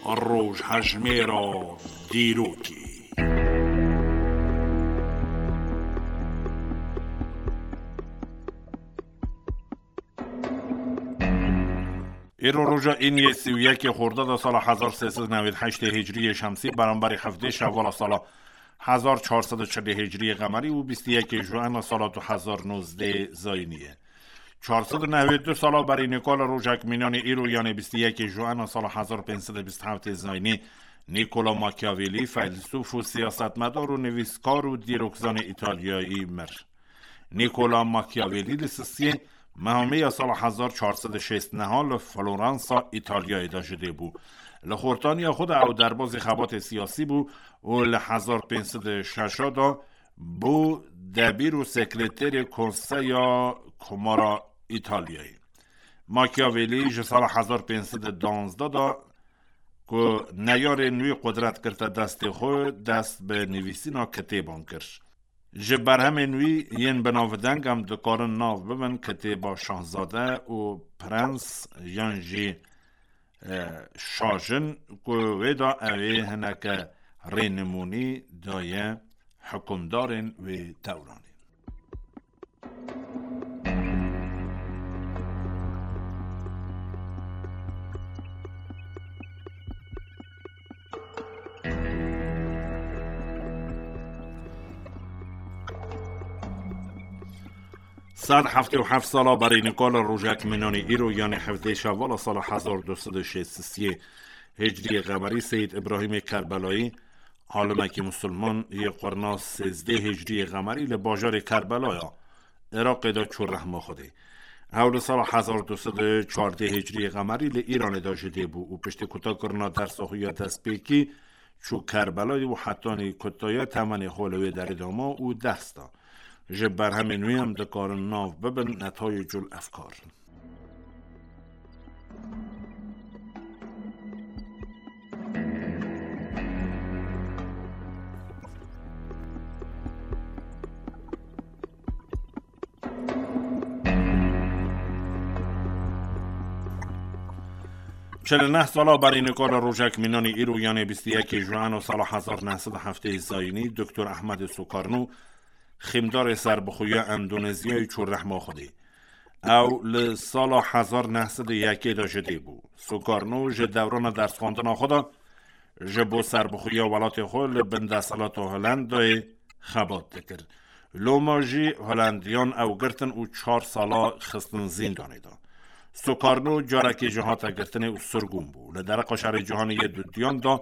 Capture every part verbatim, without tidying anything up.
Rojhejmêra dîrokê. Îro roja îniyê sî û yekê Xordada sala hezar sê sed û newêd heştê Hicriyê Şemsî, beramberî hevdê Şewvala sala hezar çar sed û çilê Hicriyê Qemerî û bîst û yekê Juena sala du hezar nozdê Zayînî ye. Çar sed û newêd du sala berî nîkola rojek mînanê îro, yanê bîst û yekê Juena sala hezar pênc sed û bîst û heftê Zayînî, Nîkola Machiavelli, feylesûf û siyasetmedar û nivîskar û dîrokzanê Îtalyayî mir. Nîkola Machiavelli li sisiyê mehamê ya sala hezar çar sed û şêst neha li Floransa, Îtalyayê de ji dê bû. Li xortaniya xwe de ew derbazê xebatê siyasî bû û li hezar pênc sed û şeş de bû debîr û sekreterê Konseya Komara Îtalyayê. Machiavelli ji sala hezar pênc sed û duwazdeh de ku neyarên wî qudret girte destê xwe, dest bi nivîsîna kitêban kir. Ji berhemên wî yên binavdeng em dikarin nav bibin kitêba Şahzade û Prens yan jî, e, Şajin, ku wê de ew ê hineke rênimûnî daye hikûmdarên wê dewranê. Sed heftê û heft sala berî nîkola rojek mînanê îro, yanê hevdê Şewvala sala hezar du sed û şêst û sê Hicriyê Qemerî, Seyîd Îbrahîmê Kerbelayî, alimekî musulman yê qurna sêzdeh Hicriyê Qemerî li bajarê Kerbelayê Iraqê de çû rehma Xwedê. Ew li sala hezar du sed û çardeh Hicriyê Qemerî li Îranê de ji dê bû û piştî kutakirina dersa xwe ya destpêkî çû Kerbelayê û hetanî kutaya temenê xwe li wê derê de ma û ders da. Ji berhemên wî em dikarin nav bibin Netayicul Efkar. Çil û neh sala berî nîkola rojek mînanê îro, yanê bîst û yekê Juena sala hezar neh sed û heftê Zayînî, Doktor Ehmedê Sukarno, xîmdarê serbixweya Endonezyayê, çû rehma Xwedê. Ew li sala hezar neh sed û yekê de ji dê bû. Sukarno ji dewrana dersxwendina xwe de ji bo serbixweya welatê xwe li bin desthilata Holendayê xebat dikir. Loma jî Holendiyan ew girtin û çar sala xistin zîndanê de. Sukarno carekê jî hate girtinê û sirgûn bû. Li dereqa Şerê Cîhanê yê Dudiyan de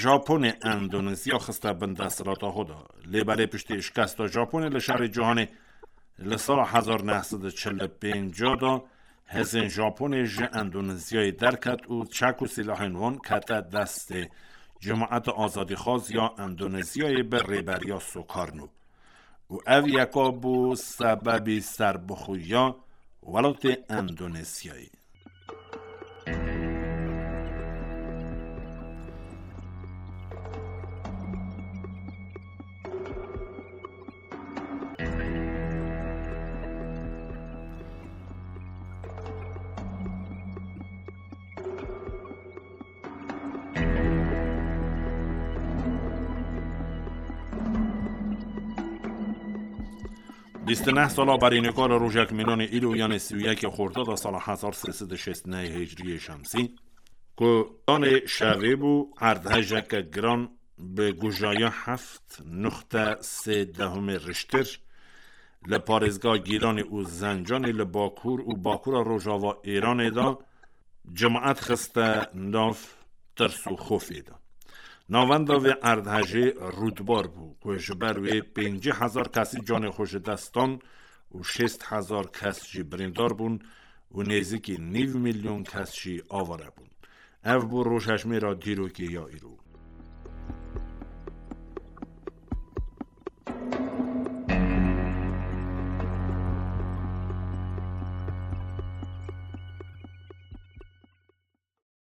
Japonê Endonezya xiste bin desthilata xwe de. Lê belê piştî şikesta Japonê li Şerê Cîhanê li sala hezar neh sed û çil û pênc de hêzên Japonê ji Endonezyayê derket û çek û sîlahên wan kete destê Cemaeta Azadîxwaz ya Endonezyayê bi rêberiya Sukarno. Û ev yeka bû sebebî serbixweya welatê Endonezyayê. Bîst û neh sala berî nîkola rojek mînanê îro, yanê sî û yekê Xordada sala hezar sê sed û şêst û neh Hicriyê Şemsî, ku danê şevê bû, erdhejeke giran bi gujaya heft nuxte sê dehumê Richter li parêzga Gîlanê û Zencanê li bakur û bakura rojava Îranê de cemaet xiste nav tirs û xofê de. Navenda vê erdhejê rûdbar bû ku ji ber wê pêncî hezar kesî canê xwe ji dest dan û şêst hezar kes jî birîndar bûn û nêzîkî nîv milyon kes jî avare bûn. Ev bû rojhejmêra dîrokê ya îro.